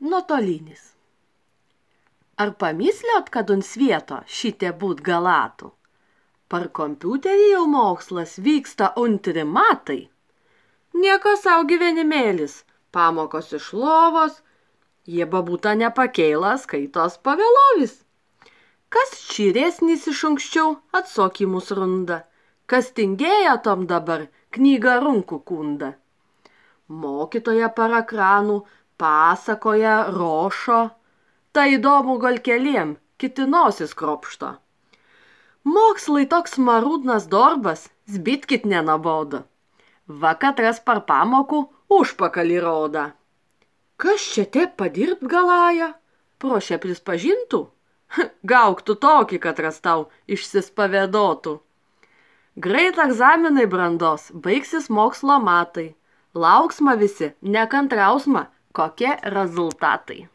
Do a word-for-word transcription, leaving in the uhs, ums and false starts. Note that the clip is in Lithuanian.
nuotolinis. Ar pamysliot, kad un svieto šitie būt galėtų? Par kompiuterį jau mokslas vyksta antri metai. Nieko sau gyvenimėlis, pamokos iš lovos, jie babūta nepakeilas, skaitos pavėlovis. Kas čiresnis iš anksčiau atsakymus runda, kas tingėja tom dabar knygą runku kunda. Mokytoja par ekranų pasakoja rošo, tai įdomu gal keliem, kiti nosis kropšto. Mokslai toks marudnas darbas, zbitkit nenabodo. Va katras par pamokų užpakalį roda. Kas čia taip padirbt galąja? Prošė prispažintų? Gauktų tokį, katras tau išsispavėdotų. Greit egzaminai brandos, baigsis mokslo metai. Lauksma visi, nekantrausma, kokie rezultatai.